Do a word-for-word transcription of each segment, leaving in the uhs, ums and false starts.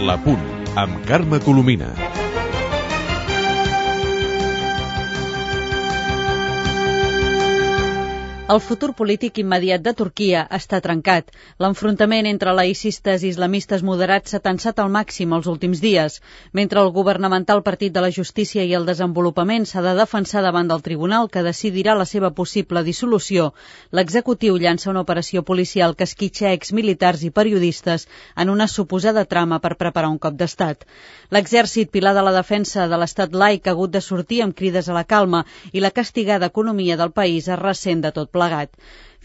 La Punt, amb Carme Colomina. El futur polític immediat de Turquia està trencat. L'enfrontament entre laïcistes i islamistes moderats s'ha tensat al màxim els últims dies. Mentre el governamental Partit de la Justícia i el Desenvolupament s'ha de defensar davant del tribunal que decidirà la seva possible dissolució, l'executiu llança una operació policial que esquitxa exmilitars i periodistes en una suposada trama per preparar un cop d'estat. L'exèrcit, pilar de la defensa de l'estat laic, ha hagut de sortir amb crides a la calma i la castigada economia del país es ressent de tot plegat.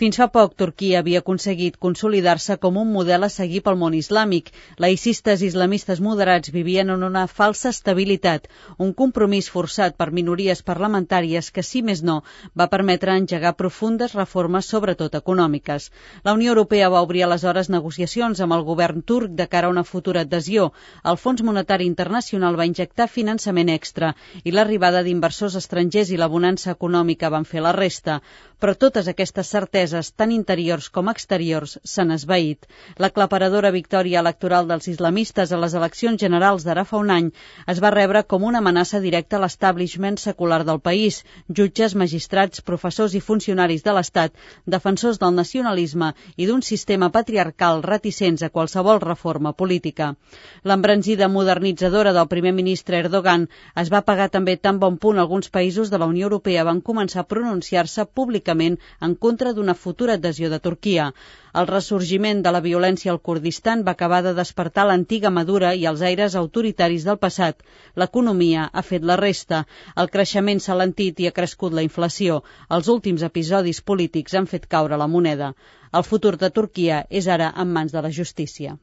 Fins fa poc, Turquia havia aconseguit consolidar-se com un model a seguir pel món islàmic. Laïcistes i islamistes moderats vivien en una falsa estabilitat, un compromís forçat per minories parlamentàries que, si més no, va permetre engegar profundes reformes, sobretot econòmiques. La Unió Europea va obrir aleshores negociacions amb el govern turc de cara a una futura adhesió. El Fons Monetari Internacional va injectar finançament extra i l'arribada d'inversors estrangers i la bonança econòmica van fer la resta. Però totes aquestes certeses, tant interiors com exteriors, s'han esvaït. L'aclaparadora victòria electoral dels islamistes a les eleccions generals d'ara fa un any es va rebre com una amenaça directa a l'establishment secular del país, jutges, magistrats, professors i funcionaris de l'Estat, defensors del nacionalisme i d'un sistema patriarcal reticents a qualsevol reforma política. L'embranzida modernitzadora del primer ministre Erdogan es va pagar també tan bon punt alguns països de la Unió Europea van començar a pronunciar-se públicament en contra d'una futura adhesió de Turquia. El ressorgiment de la violència al Kurdistan va acabar de despertar l'antiga Madura i els aires autoritaris del passat. L'economia ha fet la resta. El creixement s'ha alentit i ha crescut la inflació. Els últims episodis polítics han fet caure la moneda. El futur de Turquia és ara en mans de la justícia.